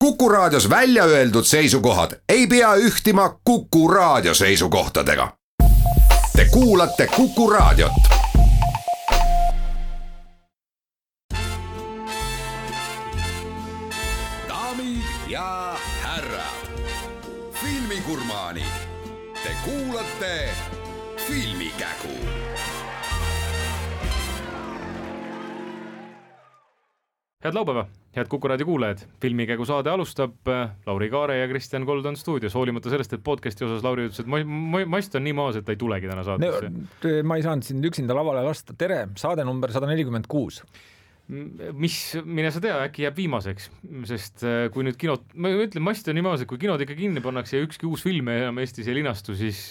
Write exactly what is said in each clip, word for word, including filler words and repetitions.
Kuku Raadios välja öeldud seisukohad ei pea ühtima Kuku Raadio seisukohtadega. Te kuulate Kuku Raadiot. Daamid ja härrad, filmigurmaanid, te kuulate Filmikägu. Head laupäeva, head Kuku Raadio kuulajad. Filmikägu saade alustab. Lauri Kaare ja Kristjan Kold on stuudios, hoolimata sellest, et podcasti osas Lauri ütles, et ma, ma, mast on nii maas, et ta ei tulegi täna saatesse. No, ma ei saanud sind üksinda lavale lasta. Tere, saade number sada nelikümmend kuus. Mis, mine sa tea, äkki jääb viimaseks, sest kui nüüd kinod, ma ütlen, mast on nii maas, et kui kinod ikka kinni pannakse ja ükski uus film enam Eestis ei linastu, siis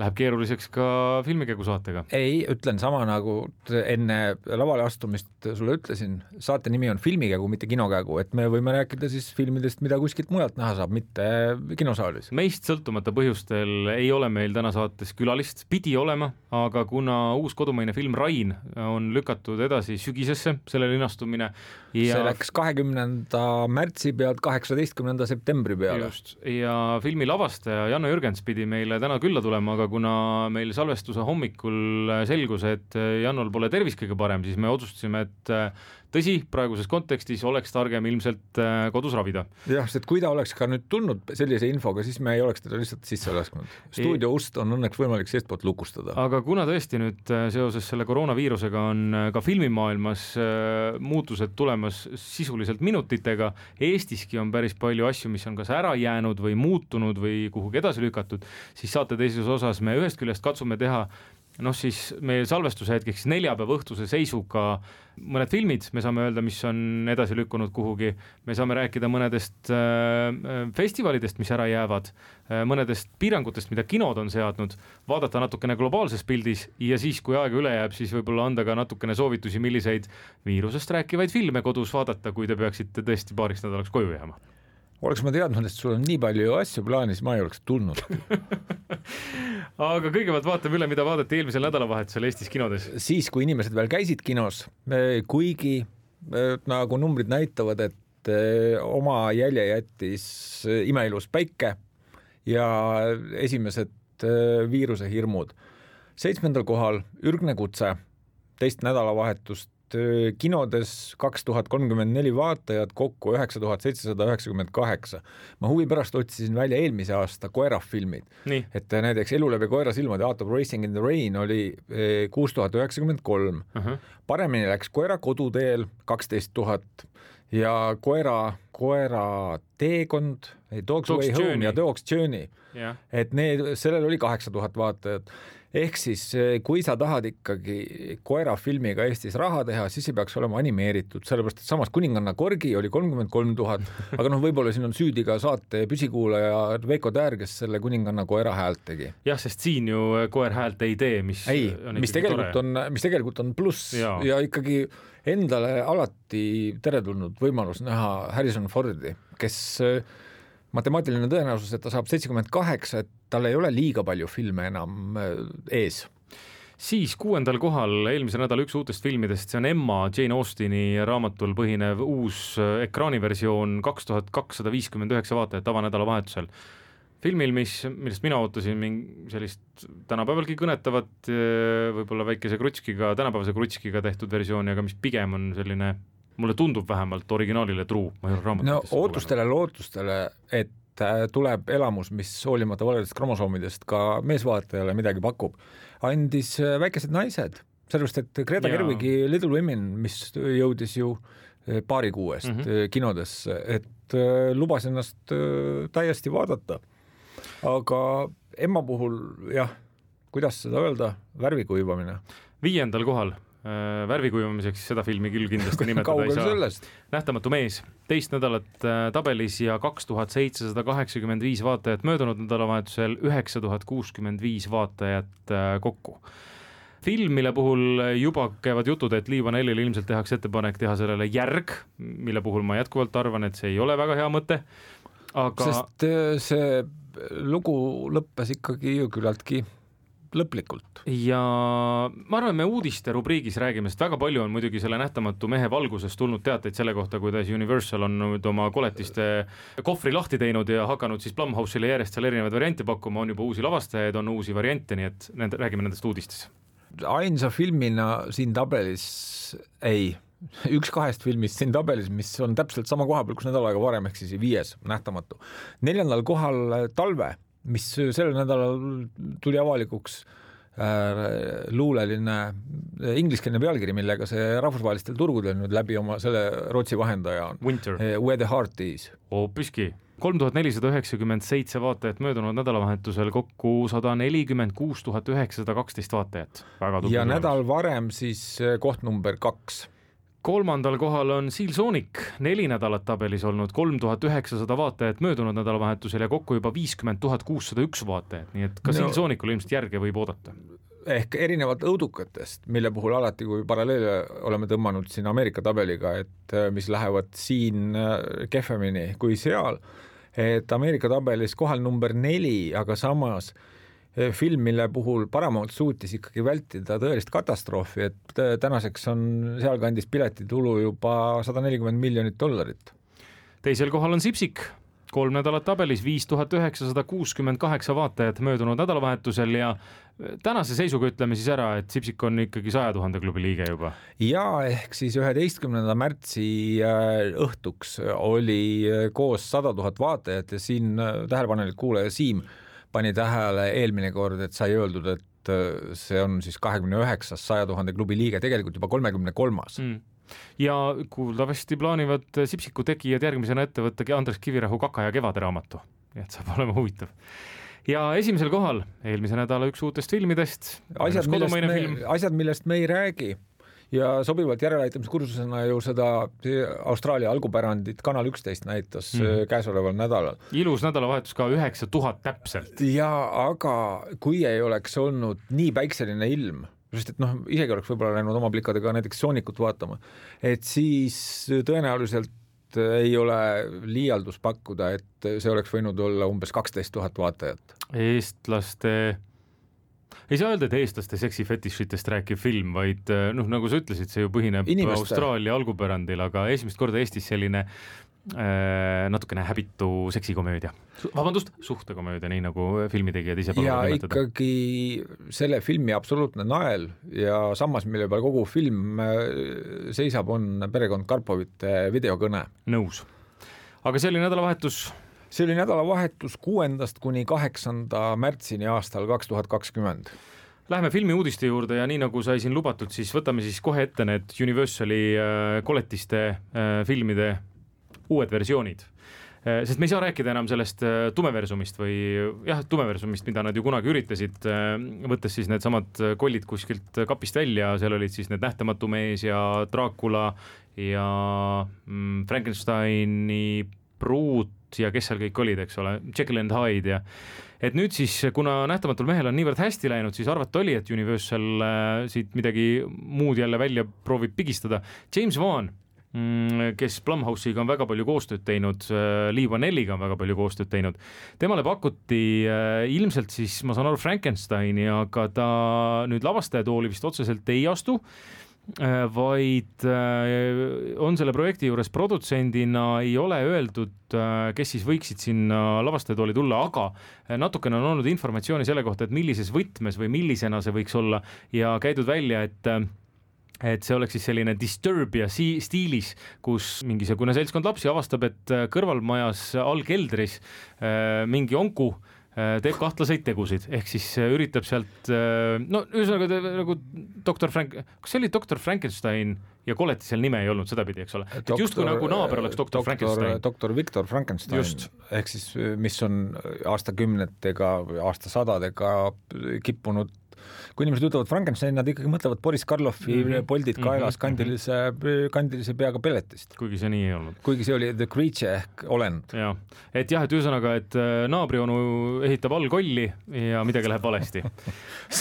läheb keeruliseks ka Filmikägu saatega. Ei, ütlen sama nagu enne lavale astumist sulle ütlesin, saate nimi on Filmikägu, mitte kinokägu, et me võime rääkida siis filmidest, mida kuskilt mujalt näha saab, mitte kinosaalis. Meist sõltumata põhjustel ei ole meil täna saates külalist, pidi olema, aga kuna uus kodumaine film Rain on lükatud edasi sügisesse, selle linastumine ja see läks kahekümnenda märtsi pealt kaheksateistkümnenda septembri peale. Just. Ja filmi lavastaja Janno Jürgens pidi meile täna külla tulema, aga kuna meil salvestuse hommikul selgus, et Jannol pole tervis kõige parem, siis me otsustasime, et tõsi, praeguses kontekstis oleks targem ilmselt kodus ravida. Jah, sest kui ta oleks ka nüüd tulnud sellise infoga, siis me ei oleks teda lihtsalt sisse lasknud. Stuudio ust on õnneks võimalik seestpoolt lukustada. Aga kuna tõesti nüüd seoses selle koroonaviirusega on ka filmimaailmas muutused tulemas sisuliselt minutitega, Eestiski on päris palju asju, mis on kas ära jäänud või muutunud või kuhugi edasi lükatud, siis saate teises osas me ühest küljest katsume teha noh siis meie salvestuse hetkeks neljapäeva õhtuse seisuga mõned filmid, me saame öelda, mis on edasi lükkunud kuhugi, me saame rääkida mõnedest äh, festivalidest, mis ära jäävad, äh, mõnedest piirangutest, mida kinod on seadnud, vaadata natukene globaalses pildis ja siis, kui aega üle jääb, siis võib-olla anda ka natukene soovitusi, milliseid viirusest rääkivaid filme kodus vaadata, kui te peaksite tõesti paariks nädalaks koju jääma. Oleks ma teadnud, et sul on nii palju asju plaanis, ma ei oleks tulnud. Aga kõigepealt vaatame üle, mida vaadati eelmisel nädalavahetusel Eestis kinodes. Siis, kui inimesed veel käisid kinos, kuigi nagu numbrid näitavad, et oma jälje jättis Imeilus päike ja esimesed viiruse hirmud. Seitsmendal kohal Ürgne kutse, teist nädalavahetust kinodes kaks tuhat kolmkümmend neli vaatajad, kokku üheksa tuhat seitsesada üheksakümmend kaheksa. Ma huvi pärast otsisin välja eelmise aasta koerafilmid. Nii. Et näiteks Elu läbi koera silmad ja Art of Racing in the Rain oli kuus tuhat üheksakümmend kolm. Uh-huh. Paremini läks Koera koduteel kaksteist tuhat ja koera, koera teekond, Dog's Way Home ja Dog's Journey. Yeah. Et need, sellel oli kaheksa tuhat vaatajat. Ehk siis, kui sa tahad ikkagi koerafilmiga Eestis raha teha, siis ei peaks olema animeeritud, sellepärast, et samas Kuninganna korgi oli kolmkümmend kolm tuhat, aga noh, võib-olla siin on süüdi ka saate püsikuulaja Veiko Täär, kes selle Kuninganna koera häält tegi. Jah, sest siin ju koer häält ei tee, mis ei, on mis tegelikult tore. on, mis tegelikult on pluss ja. ja ikkagi endale alati teretulnud võimalus näha Harrison Fordi, kes matemaatiline tõenäosus, et ta saab seitsekümmend kaheksa, et tal ei ole liiga palju filme enam ees. Siis kuuendal kohal eelmise nädala üks uutest filmidest, see on Emma, Jane Austini raamatul põhinev uus ekraaniversioon kaks tuhat kakssada viiskümmend üheksa vaatajat tavanädala vahetusel. Filmil, mis, millest mina ootasin sellist tänapäevalgi kõnetavat, võib-olla väikese krutskiga, tänapäevase krutskiga tehtud versiooni, aga mis pigem on selline mulle tundub vähemalt originaalile truu. No ootustele, lootustele, et tuleb elamus, mis hoolimata valedest kromosoomidest ka meesvaatajale midagi pakub, andis Väikesed naised. Sellepärast, et Greta ja. Gerwigi Little Women, mis jõudis ju paari kuuest mm-hmm. kinodesse, et lubas ennast täiesti vaadata. Aga Emma puhul, jah, kuidas seda öelda, värvikuivamine. Viiendal kohal värvikuivamiseks seda filmi küll kindlasti nimetada ei saa. Sellest? Nähtamatu mees, teist nädalat tabelis ja kaks tuhat seitsesada kaheksakümmend viis vaatajat möödunud nädalavahetusel, üheksa tuhat kuuskümmend viis vaatajat kokku. Film, mille puhul juba käivad jutud, et Lee Vanellil ilmselt tehakse ettepanek teha sellele järg, mille puhul ma jätkuvalt arvan, et see ei ole väga hea mõte. Aga... Sest see lugu lõppes ikkagi ju küllaltki lõplikult. Ja ma arvan, me uudiste rubriigis räägime, sest väga palju on muidugi selle nähtamatu mehe valguses tulnud teateid selle kohta, kuidas Universal on nüüd oma koletiste kohvri lahti teinud ja hakanud siis Blumhouse'ile järjest seal erinevaid variante pakkuma, on juba uusi lavastajaid, on uusi variante, nii et nende, räägime nendest uudistes. Ainsa filmina siin tabelis ei, üks kahest filmist siin tabelis, mis on täpselt sama koha peal, kus nädal aega varem, ehk siis viies nähtamatu. Neljandal kohal Talve, mis sellel nädalal tuli avalikuks äh, luuleline ingliskeelne pealkiri, millega see rahvusvahelistel turgudel nüüd läbi oma selle Rootsi vahendaja on. Winter. Where the Heart Is. Hoopiski. kolm tuhat nelisada üheksakümmend seitse vaatajat möödunud nädalavahetusel, kokku sada nelikümmend kuus tuhat üheksasada kaksteist vaatajat. Väga ja nädal varem siis koht number kaks. Kolmandal kohal on Seal Sonic, neli nädalat tabelis olnud, kolm tuhat üheksasada vaatajat möödunud nädalavahetusel ja kokku juba viiskümmend tuhat kuussada üks vaatajat, nii et ka no, Seal Sonicul ilmselt järge võib oodata. Ehk erinevat õudukatest, mille puhul alati, kui paralleele oleme tõmmanud siin Ameerika tabeliga, et mis lähevad siin kehvemini kui seal, et Ameerika tabelis kohal number neli, aga samas film, mille puhul Paramount suutis ikkagi vältida tõelist katastroofi, et tänaseks on sealkandis piletitulu juba sada nelikümmend miljonit dollarit. Teisel kohal on Sipsik, kolm nädalat tabelis, viis tuhat üheksasada kuuskümmend kaheksa vaatajat möödunud nädalavahetusel ja tänase seisuga ütleme siis ära, et Sipsik on ikkagi saja tuhande klubi liige juba. Ja ehk siis üheteistkümnenda märtsi õhtuks oli koos sada tuhat vaatajat ja siin tähelepanelik kuulaja Siim pani tähele eelmine kord, et sai öeldud, et see on siis kahekümne üheksas saja tuhande klubi liige, tegelikult juba kolmekümne kolmas. Mm. Ja kuuldavasti plaanivad Sipsiku tegijad järgmisena ette võtta Andres Kivirahu Kaka ja kevade raamatu. Et saab olema huvitav. Ja esimesel kohal eelmise nädala üks uutest filmidest. Asjad, millest me, asjad, millest me ei räägi. Ja sobivalt järeleaitamiskursusena ju seda Austraalia algupärandit Kanal üksteist näitas mm. käesoleval nädalal. Ilus nädalavahetus ka üheksa tuhat täpselt. Ja aga kui ei oleks olnud nii päikseline ilm, sest et noh, isegi oleks võib-olla läinud oma plikadega näiteks Soonikut vaatama, et siis tõenäoliselt ei ole liialdus pakkuda, et see oleks võinud olla umbes kaksteist tuhat vaatajat. Eestlaste... Ei saa öelda, et eestlaste seksifetišitest rääkiv film, vaid noh, nagu sa ütlesid, see ju põhineb Inimeste. Austraalia algupärandil, aga esimest korda Eestis selline äh, natukene häbitu seksikomöödia. Vabandust, suhtekomöödia, nii nagu filmitegijad ise ja ikkagi selle filmi absoluutne nael ja samas, mille peal kogu film seisab, on perekond Karpovite videokõne. Nõus. Aga see oli nädalavahetus... See oli nädalavahetus kuuendast kuni kaheksanda märtsini aastal kaks tuhat kakskümmend. Lähme filmi uudiste juurde ja nii nagu sai siin lubatud, siis võtame siis kohe ette need Universali koletiste filmide uued versioonid. Sest me ei saa rääkida enam sellest tumeversumist või jah, tumeversumist, mida nad ju kunagi üritasid, võttes siis need samad kollid kuskilt kapist välja, seal olid siis need Nähtamatu mees ja Dracula ja Frankensteini pruut ja kes seal kõik olid, eks ole, Jekyll and Hyde ja et nüüd siis, kuna Nähtamatul mehel on niivõrd hästi läinud, siis arvata oli, et Universal äh, siit midagi muud jälle välja proovib pigistada. James Wan, mm, kes Blumhouse'iga on väga palju koostööd teinud, äh, Lee Vanelliga on väga palju koostööd teinud, temale pakuti äh, ilmselt siis, ma saan aru, Frankensteini, aga ta nüüd lavastajatooli vist otseselt ei astu, vaid on selle projekti juures produtsendina, ei ole öeldud, kes siis võiksid sinna lavastajatooli tulla, aga natukene on olnud informatsiooni selle kohta, et millises võtmes või millisena see võiks olla ja käidud välja, et et see oleks siis selline Disturbia stiilis, kus mingisugune seltskond lapsi avastab, et kõrvalmajas allkeldris mingi onku teeb kahtlaseid tegusid, ehk siis üritab sealt, no ühesõnaga nagu doktor Frank, kas see oli doktor Frankenstein ja koleti seal nime ei olnud, seda pidi, eks ole. Et justkui nagu naaber oleks doktor, doktor Frankenstein. Doktor Victor Frankenstein, Just. ehk siis mis on aastakümnetega, aastasadadega kippunud. Kui inimesed ütlevad Frankenstein, nad ikkagi mõtlevad Boris Karloffi mm-hmm. poldid kaelas mm-hmm. kandilise, kandilise peaga pelletist. Kuigi see nii ei olnud. Kuigi see oli The Creature ehk olend. Ja. Et jah, et ühesõnaga, et naabrionu ehitab all kolli ja midagi läheb valesti.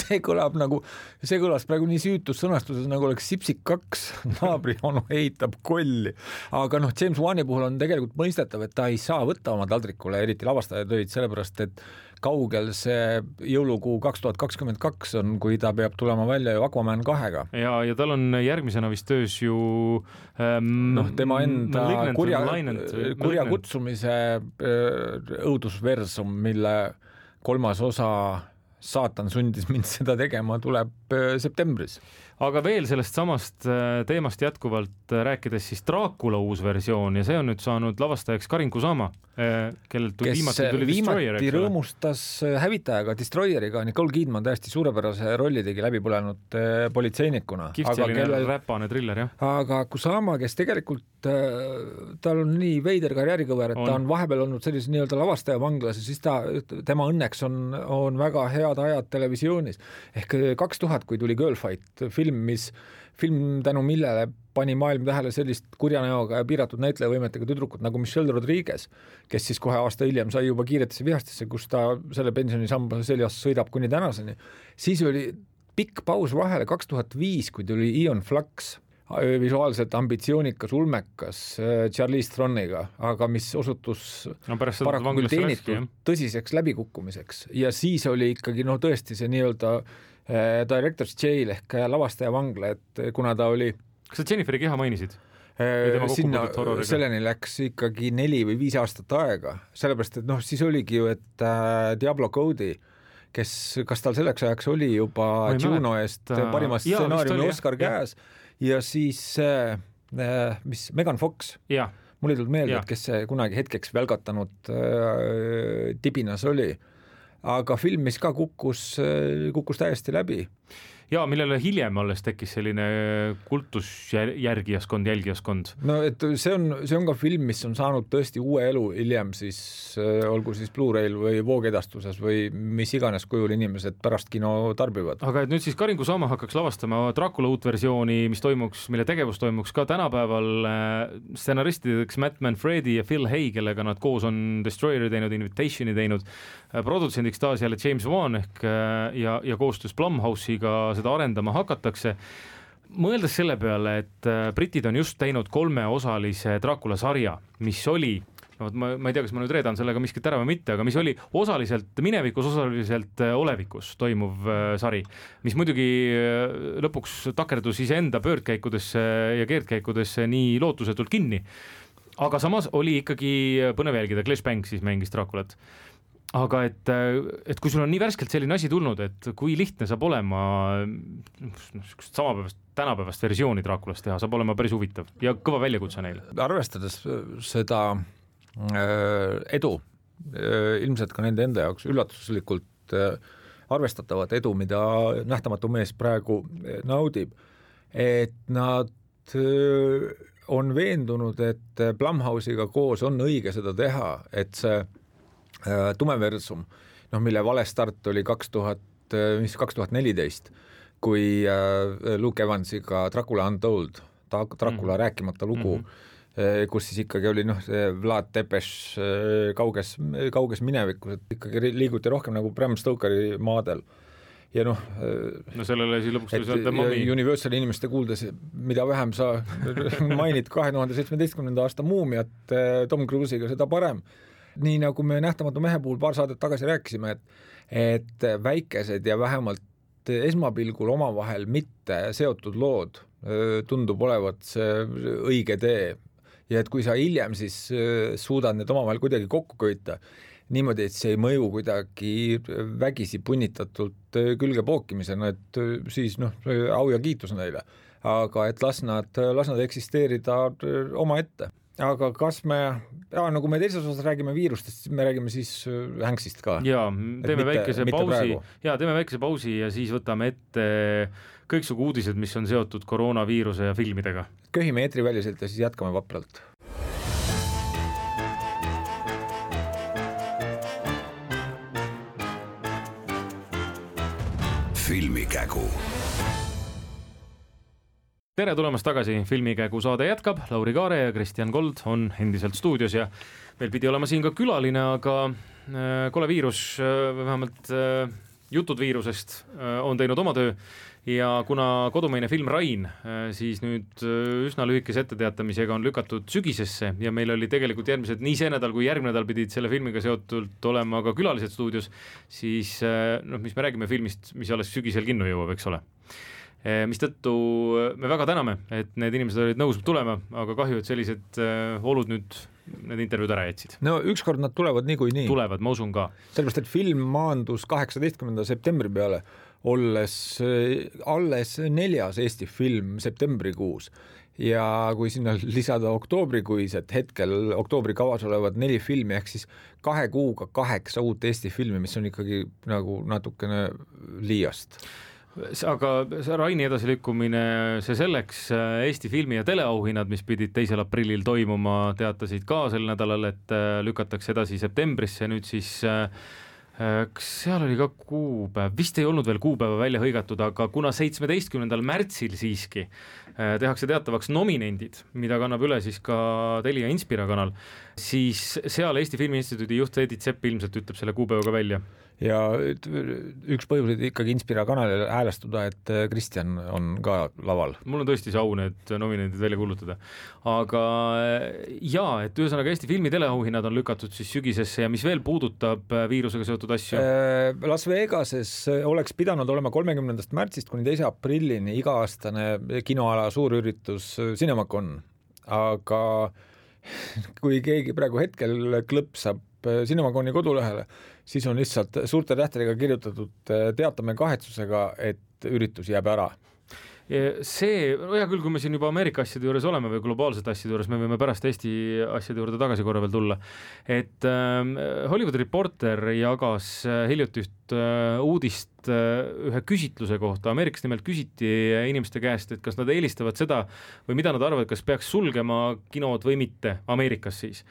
see kõlab nagu, see kõlas praegu nii süütus sõnastuses, nagu oleks Sipsik kaks, naabrionu ehitab kolli. Aga noh, James Wani puhul on tegelikult mõistetav, et ta ei saa võtta oma taldrikule eriti lavastajatöid, sellepärast, et kaugel see jõulukuu kaks tuhat kakskümmend kaks üks on, kui ta peab tulema välja Aquaman kahega. Ja, ja tal on järgmisena vist töös ju ähm, noh, tema enda kurja, kurja kutsumise õudusversum, mille kolmas osa Saatan sundis mind seda tegema, tuleb septembris. Aga veel sellest samast teemast jätkuvalt rääkides siis Dracula uus versioon ja see on nüüd saanud lavastajaks Karin Kusama, kellelt tuli viimati tuli Destroyer. Viimati rõõmustas hävitajaga Destroyeriga, Nicole Kidman täiesti suurepärase rolli tegi läbipõlenud politseinikuna. Kihvt selline kellel... räpane thriller, jah. Aga Kusama, kes tegelikult tal on nii veider karjäärikõver, et on. Ta on vahepeal olnud sellise nii-öelda lavastaja vanglas ja siis ta, tema õnneks on, on väga head ajad televisioonis. Ehk kaks tuhat, kui tuli Girlfight film, mis film tänu millele pani maailm tähele sellist kurja näoga ja piiratud näitlejavõimetega tüdrukut nagu Michelle Rodriguez, kes siis kohe aasta hiljem sai juba Kiiretesse vihastesse, kus ta selle pensionisamba seljas sõidab kuni tänaseni. Siis oli pikk paus vahele kaks tuhat viis, kui tuli Ian Flux, visuaalselt ambitsioonikas, ulmekas Charlize Throniga, aga mis osutus no, paraku küll teenitud tõsiseks läbikukkumiseks. Ja siis oli ikkagi no tõesti see nii-öelda Director's Jail ehk lavastaja vangla, et kuna ta oli... Kas sa Jenniferi keha mainisid? Sinna selleni läks ikkagi neli või viis aastat aega, sellepärast, et noh, siis oligi ju, et Diablo Cody, kes, kas tal selleks ajaks oli juba Juno eest parima stsenaariumi Oscar käes ja siis mis Megan Fox, ja. Mul ei tulnud meelde, et kes see kunagi hetkeks välgatanud äh, tibinas oli. Aga film, mis ka kukkus, kukkus täiesti läbi. Ja, millele hiljem alles tekkis selline kultusjärgijaskond, jälgijaskond. No, et see on, see on ka film, mis on saanud tõesti uue elu hiljem siis, olgu siis Blu-rayl või voogedastuses või mis iganes kujul inimesed pärast kino tarbivad. Aga et nüüd siis Karin Kusama hakkaks lavastama Dracula uut versiooni, mis toimuks, mille tegevus toimuks ka tänapäeval stsenaristideks Matt Manfredi ja Phil Hay, kellega nad koos on Destroyeri teinud, Invitationi teinud, produtsendiks taas jälle James Wan ehk ja, ja koostöös Blumhouse'iga seda arendama hakatakse. Mõeldes selle peale, et britid on just teinud kolmeosalise Dracula sarja, mis oli, no, ma, ma ei tea, kas ma nüüd reedan sellega miskit ära või mitte, aga mis oli osaliselt minevikus, osaliselt olevikus toimuv sari, mis muidugi lõpuks takerdus iseenda pöördkäikudesse ja keerdkäikudesse nii lootusetult kinni. Aga samas oli ikkagi põnev jälgida, Clash Bank siis mängis Draculat. Aga et, et kui sul on nii värskelt selline asi tulnud, et kui lihtne saab olema samapäevast, tänapäevast versiooni Draculast teha, saab olema päris huvitav ja kõva väljakutse neile. Arvestades seda edu, ilmselt ka nende enda jaoks üllatuslikult arvestatavat edu, mida nähtamatu mees praegu naudib, et nad on veendunud, et Blumhouse'iga koos on õige seda teha, et see tumeversum, noh, mille vale start oli kaks tuhat, mis kaks tuhat neliteist, kui Luke Evansiga Dracula Untold, Dracula mm. rääkimata lugu, mm-hmm. kus siis ikkagi oli noh, Vlad Tepes kauges, kauges minevikus, et ikkagi liiguti rohkem nagu Bram Stokeri maadel. Ja noh, no sellele siis lõpuks et, mami... Universali inimeste kuuldes, mida vähem sa mainid kahe tuhande seitsmeteistkümnenda aasta muumiat Tom Cruise'iga, seda parem. Nii nagu me nähtamatu mehe puhul paar saadet tagasi rääkisime, et, et väikesed ja vähemalt esmapilgul omavahel mitte seotud lood tundub olevat see õige tee. Ja et kui sa hiljem siis suudad need omavahel kuidagi kokku köita, niimoodi, et see ei mõju kuidagi vägisi punnitatult külge pookimisena, et siis noh, au ja kiitus neile. Aga et las nad, las nad eksisteerida oma ette. Aga kas me, ja, nagu me teises osas räägime viirustest, me räägime siis Hanksist ka. Ja, teeme väikese pausi, ja, teeme väikese pausi ja siis võtame ette kõiksugu uudised, mis on seotud koroonaviiruse ja filmidega. Köhime eetriväliselt ja siis jätkame vapralt. Filmikägu. Tere tulemast tagasi, Filmikägu saade jätkab, Lauri Kaare ja Kristjan Kold on endiselt stuudios ja meil pidi olema siin ka külaline, aga kole viirus, vähemalt jutud viirusest on teinud oma töö ja kuna kodumaine film Rain siis nüüd üsna lühikese etteteatamisega on lükatud sügisesse ja meil oli tegelikult järgmised, nii see nädal kui järgmine nädal pidid selle filmiga seotult olema ka külalised stuudios, siis noh, mis me räägime filmist, mis alles sügisel kinno jõuab, eks ole. Mis tõttu me väga täname, et need inimesed olid nõus tulema, aga kahju, et sellised olud nüüd need intervjuud ära jätsid. No ükskord nad tulevad niikuinii. Tulevad, ma usun ka. Sellepärast, et film maandus kaheksateistkümnenda septembri peale, olles alles neljas Eesti film septembrikuus ja kui sinna lisada oktoobrikuised hetkel oktoobri kavas olevad neli filmi, ehk siis kahe kuuga kaheksa uut Eesti filmi, mis on ikkagi nagu natukene liiast. Aga Raini edasilükkumine, see selleks, Eesti filmi- ja teleauhinnad, mis pidid teisel aprillil toimuma, teatasid ka sel nädalal, et lükatakse edasi septembrisse, nüüd siis kas seal oli ka kuupäev, vist ei olnud veel kuupäeva välja hõigatud, aga kuna seitsmeteistkümnendal märtsil siiski tehakse teatavaks nominendid, mida kannab üle siis ka Telia Inspira kanal, siis seal Eesti Filmi Instituudi juht Edith Sepp ilmselt ütleb selle kuupäevaga välja. Ja üks põhjuseid ikkagi Inspira kanalile häälestuda, et Kristjan on ka laval. Mul on tõesti see au need nominendid välja kuulutada. Aga jaa, et ühesõnaga Eesti filmi teleauhinnad on lükatud siis sügisesse ja mis veel puudutab viirusega seotud asju? Las Vegases oleks pidanud olema kolmekümnendast märtsist kuni teise aprillini iga-aastane kinoala suurüritus Cinemacon, aga kui keegi praegu hetkel klõpsab Cinemaconi kodulehele, siis on lihtsalt suurte tähtedega kirjutatud teatame kahetsusega, et üritus jääb ära. See, hea küll, kui me siin juba Ameerika asjade juures oleme või globaalsete asjade juures, me võime pärast Eesti asjade juurde tagasi korra veel tulla. Et äh, Hollywood Reporter jagas hiljuti üht äh, uudist äh, ühe küsitluse kohta. Ameerikas nimelt küsiti inimeste käest, et kas nad eelistavad seda või mida nad arvavad, kas peaks sulgema kinod või mitte Ameerikas siis.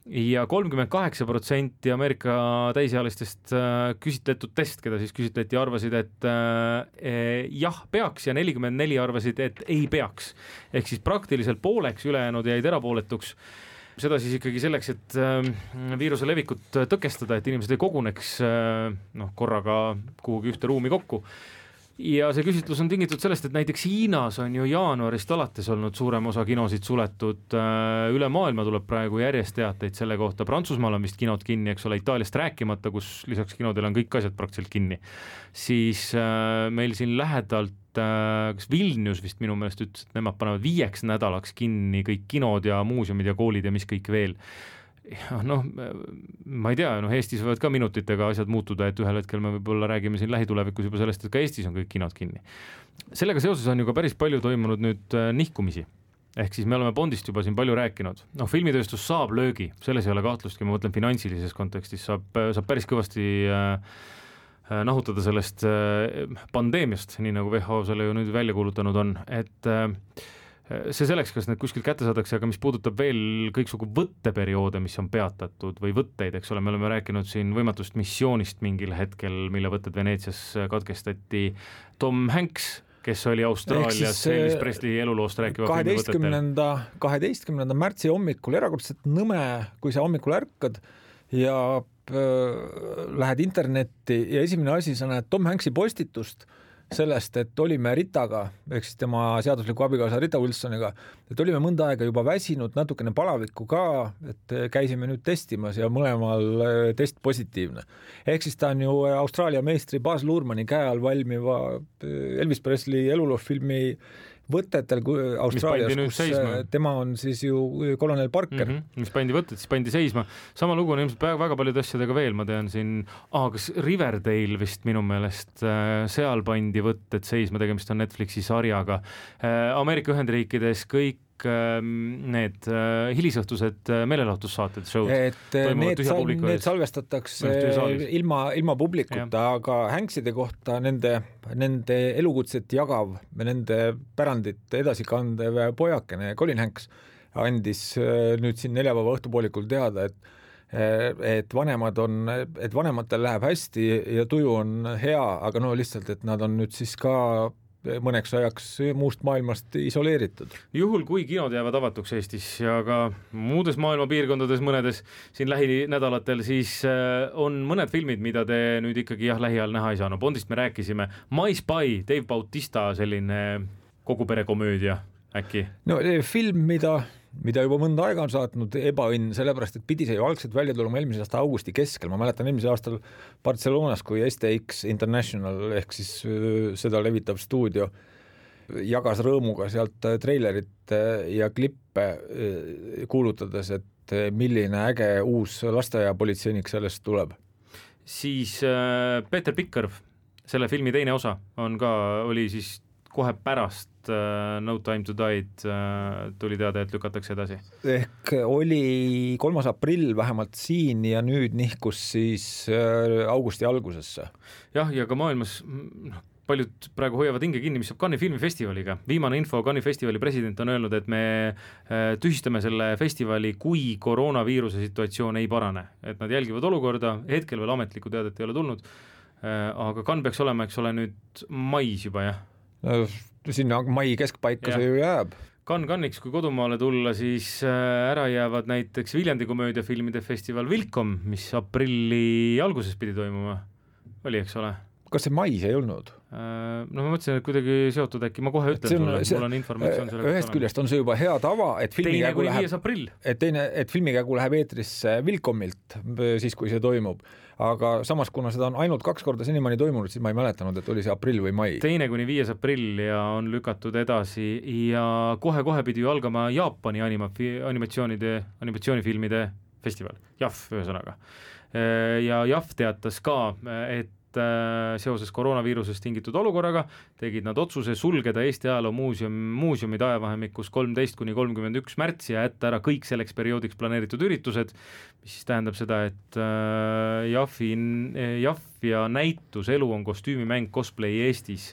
Ja kolmkümmend kaheksa protsenti Ameerika täisealistest äh, küsitletutest, keda siis küsitleti, arvasid, et äh, jah, peaks ja nelikümmend neli arvasid, et ei peaks. Ehk siis praktiliselt pooleks ülejäänud jäid erapooletuks. Seda siis ikkagi selleks, et äh, viiruse levikut tõkestada, et inimesed ei koguneks äh, noh, korraga kuhugi ühte ruumi kokku. Ja see küsitlus on tingitud sellest, et näiteks Hiinas on ju jaanuarist alates olnud suurem osa kinosid suletud, üle maailma tuleb praegu järjest teateid selle kohta, Prantsusmaal on vist kinod kinni, eks ole, Itaaliast rääkimata, kus lisaks kinodel on kõik asjad praktiliselt kinni, siis meil siin lähedalt, kas Vilnius vist minu meelest ütles, et nemad panevad viieks nädalaks kinni kõik kinod ja muuseumid ja koolid ja mis kõik veel. Noh, ma ei tea, noh, Eestis võivad ka minutitega asjad muutuda, et ühel hetkel me võib-olla räägime siin lähitulevikus juba sellest, et ka Eestis on kõik kinod kinni. Sellega seoses on ju ka päris palju toimunud nüüd nihkumisi. Ehk siis me oleme Bondist juba siin palju rääkinud. Noh, filmitööstus saab löögi, selles ei ole kahtlustki, ma mõtlen finantsilises kontekstis, saab, saab päris kõvasti äh, nahutada sellest äh, pandeemiast, nii nagu W H O selle ju nüüd välja kuulutanud on, et äh, see selleks, kas need kuskilt kätte saadakse, aga mis puudutab veel kõiksugu võtteperioode, mis on peatatud või võtteid, eks ole, me oleme rääkinud siin võimatust missioonist mingil hetkel, mille võtted Veneetsias katkestati. Tom Hanks, kes oli Austraalias Elvis Presley eluloost rääkiva kaheteistkümnenda, kaheteistkümnenda märtsi hommikul erakordselt nõme, kui sa hommikul ärkad ja äh, lähed internetti ja esimene asi, sa näed Tom Hanksi postitust sellest, et olime Ritaga, ehk siis tema seadusliku abikaasa Rita Wilsoniga, et olime mõnda aega juba väsinud, natukene palavikku ka, et käisime nüüd testimas ja mõlemal test positiivne. Ehk siis ta on ju Austraalia meistri Baz Luhrmanni käe all valmiva Elvis Presley eluloofilmi võtetel Austraalias, kus seisma. Tema on siis ju kolonel Parker. Mm-hmm, mis pandi võtted, siis pandi seisma. Sama lugu on ilmselt väga paljude asjadega veel, ma tean siin, ah, kas Riverdale vist minu meelest, seal pandi võtted seisma, tegemist on Netflixi sarjaga. Ameerika Ühendriikides kõik need hilisõhtused meelelahutussaated, showd, et need, sal, need salvestatakse ilma, ilma publikuta, aga Hankside kohta nende, nende elukutset jagav, nende pärandit edasi kandev pojakene Colin Hanks andis nüüd siin neljapäeva õhtupoolikul teada, et et vanemad on, et vanematel läheb hästi ja tuju on hea, aga no lihtsalt, et nad on nüüd siis ka mõneks ajaks muust maailmast isoleeritud. Juhul, kui kinod jäävad avatuks Eestis ja ka muudes maailma piirkondades mõnedes siin lähinädalatel, siis on mõned filmid, mida te nüüd ikkagi jah, lähiajal näha ei saa. No Bondist me rääkisime. My Spy, Dave Bautista, selline kogu pere komöödia äkki? No film, mida mida juba mõnda aega on saatnud ebaõnn, sellepärast, et pidi see ju algselt välja tulema eelmise aasta augusti keskel. Ma mäletan eelmise aastal Barcelonas, kui S T X International ehk siis seda levitav stuudio jagas rõõmuga sealt treilerit ja klippe kuulutades, et milline äge uus lasteaiapolitseinik sellest tuleb. Siis Peter Pikkerv, selle filmi teine osa on ka, oli siis kohe pärast No Time to Die'd tuli teada, et lükatakse edasi. Ehk oli kolmas aprill vähemalt siin ja nüüd nihkus siis augusti algusesse. Jah, ja ka maailmas paljud praegu hoiavad hinge kinni, mis saab Cannes'i filmifestivaliga. Viimane info Cannes'i festivali president on öelnud, et me tühistame selle festivali, kui koroonaviiruse situatsioon ei parane. Et nad jälgivad olukorda, hetkel veel ametlikku teadet ei ole tulnud, aga Cannes peaks olema, eks ole, nüüd mais juba, jah? Sinna mai keskpaika see ju jääb. Cannes Cannes'iks, kui kodumaale tulla, siis ära jäävad näiteks Viljandi komöödiafilmide festival Vilkom, mis aprilli alguses pidi toimuma. Oli, eks ole? Kas see mais ei olnud? No ma mõtlesin, et kuidagi seotud äkki, ma kohe ütlen sulle, mul on informatsioon selle ühest küljest on see juba hea tava, et filmi käigu läheb, et teine, et filmi käigu läheb eetrisse Vilkomilt siis, kui see toimub, aga samas, kuna seda on ainult kaks korda senimani toimunud, siis ma ei mäletanud, et oli see aprill või mai. Teine kuni viies aprill ja on lükatud edasi ja kohe-kohe pidi ju algama Jaapani anima, animatsioonide, animatsioonifilmide festival, J A F ühesõnaga. Ja J A F teatas ka, et seoses koroonaviirusest tingitud olukorraga tegid nad otsuse sulgeda Eesti ajaloo muuseum, muuseumid ajavahemikus kolmteist kuni kolmkümmend üks märtsi ja jätta ära kõik selleks perioodiks planeeritud üritused, mis siis tähendab seda, et J A F-i, J A F ja näitus Elu on kostüümimäng cosplay Eestis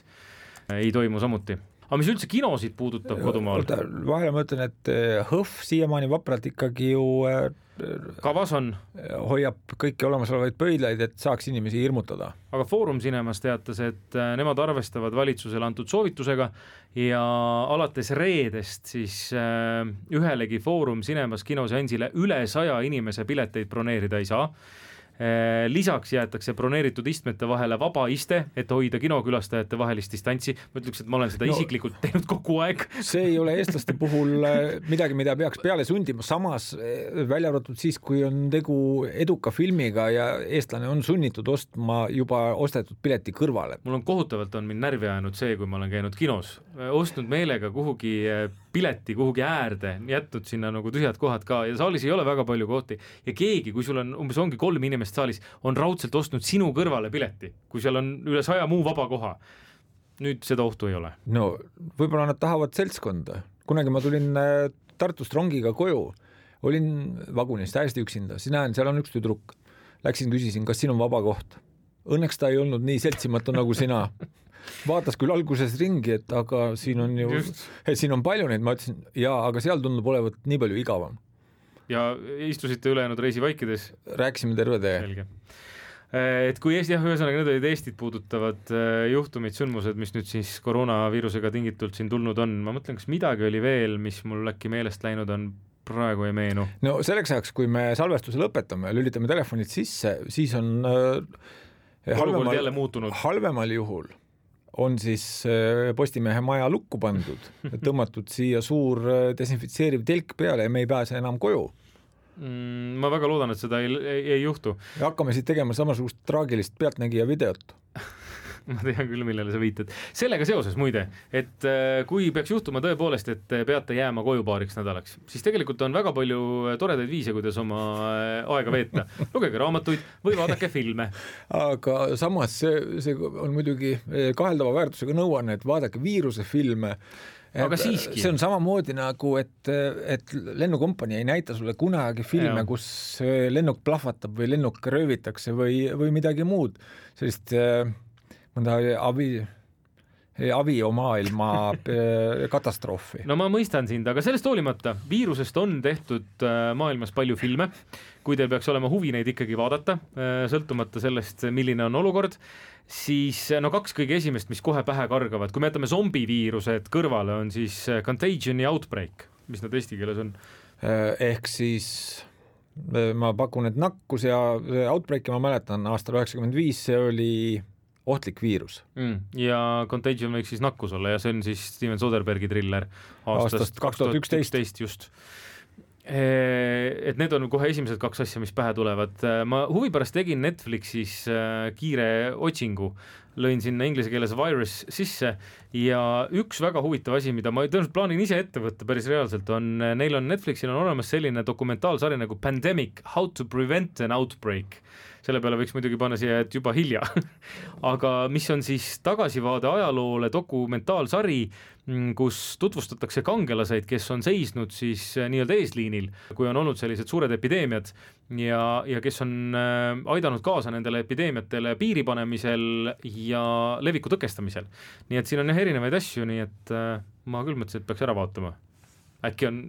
ei toimu samuti. Aga mis üldse kinosid puudutab kodumaal? Vahele ma ütlen, et Hõhv siiamaani vapralt ikkagi ju kavas on. Hoiab kõiki olemasolevaid pöidlaid, et saaks inimesi hirmutada. Aga Foorum Cinemas teatas, et nemad arvestavad valitsusele antud soovitusega ja alates reedest siis ühelegi Foorum Cinemas kinoseansile üle saja inimese pileteid broneerida ei saa. Lisaks jäetakse broneeritud istmete vahele vaba iste, et hoida kinokülastajate vahelist distantsi. Ma ütleks, et ma olen seda no, isiklikult teinud kogu aeg. See ei ole eestlaste puhul midagi, mida peaks peale sundima. Samas välja arvatud siis, kui on tegu eduka filmiga ja eestlane on sunnitud ostma juba ostetud pileti kõrvale. Mul on kohutavalt on mind närvi ajanud see, kui ma olen käinud kinos. Ostnud meelega kuhugi pileti kuhugi äärde, jätnud sinna nagu tühjad kohad ka ja saalis ei ole väga palju kohti ja keegi, kui sul on umbes ongi kolm inimest saalis, on raudselt ostnud sinu kõrvale pileti, kui seal on üle saja muu vaba koha. Nüüd seda ohtu ei ole. No võib-olla nad tahavad seltskonda. Kunagi ma tulin Tartust rongiga koju, olin vagunis täiesti üksinda, siis näen, seal on üks tüdruk. Läksin, küsisin, kas siin on vaba koht. Õnneks ta ei olnud nii seltsimatu nagu sina. Vaatas küll alguses ringi, et aga siin on ju, et siin on palju neid, ma ütlesin, jaa, aga seal tundub olevat nii palju igavam. Ja istusite ülejäänud reisi vaikides? Rääkisime terve tee. Selge. Et kui Eesti, jah, ühesõnaga need olid Eestit puudutavad juhtumid, sündmused, mis nüüd siis koroonaviirusega tingitult siin tulnud on, ma mõtlen, kas midagi oli veel, mis mul äkki meelest läinud on, praegu ei meenu. No selleks ajaks, kui me salvestuse lõpetame ja lülitame telefonid sisse, siis on äh, halvemal, halvemal juhul on siis Postimehe maja lukku pandud, tõmmatud siia suur desinfitseeriv telk peale ja me ei pääse enam koju. Mm, ma väga loodan, et seda ei, ei, ei juhtu. Ja hakkame siit tegema samasugust traagilist pealtnägija videot. Ma tean küll, millele sa viitad. Sellega seoses muide, et kui peaks juhtuma tõepoolest, et peate jääma koju paariks nädalaks, siis tegelikult on väga palju toredaid viise, kuidas oma aega veeta. Lugege raamatuid või vaadake filme. Aga samas see, see on muidugi kaheldava väärtusega nõuanne, et vaadake viiruse filme. Aga siiski. See on samamoodi nagu, et, et lennukompanii ei näita sulle kunagi filme, ja. Kus lennuk plahvatab või lennuk röövitakse või, või midagi muud. Sellist mõnda abi, aviomaailma katastroofi. No ma mõistan sind, aga sellest hoolimata viirusest on tehtud maailmas palju filme, kui teil peaks olema huvi neid ikkagi vaadata, sõltumata sellest, milline on olukord, siis no kaks kõige esimest, mis kohe pähe kargavad, kui me jätame zombiviirused kõrvale, on siis Contagion ja Outbreak, mis nad eesti keeles on? Ehk siis ma pakun, et nakkus ja Outbreaki ma mäletan aastal üheksakümmend viis, see oli ohtlik viirus mm. ja Contagion võiks siis nakkus olla ja see on siis Steven Soderbergi triller aastast, aastast kaks tuhat üksteist just. Et need on kohe esimesed kaks asja, mis pähe tulevad. Ma huvi pärast tegin Netflixis kiire otsingu, lõin sinna inglise keeles virus sisse ja üks väga huvitav asi, mida ma tõenäoliselt plaanin ise ette võtta päris reaalselt, on, neil on Netflixil on olemas selline dokumentaalsari nagu Pandemic, How to Prevent an Outbreak. Selle peale võiks muidugi panna siia, et juba hilja. Aga mis on siis tagasivaade ajaloole dokumentaalsari, kus tutvustatakse kangelaseid, kes on seisnud siis nii-öelda eesliinil, kui on olnud sellised suured epideemiad ja, ja kes on aidanud kaasa nendele epideemiatele piiri panemisel ja leviku tõkestamisel. Nii et siin on jah erinevaid asju, nii et ma küll mõtlesin, et peaks ära vaatama. Äkki on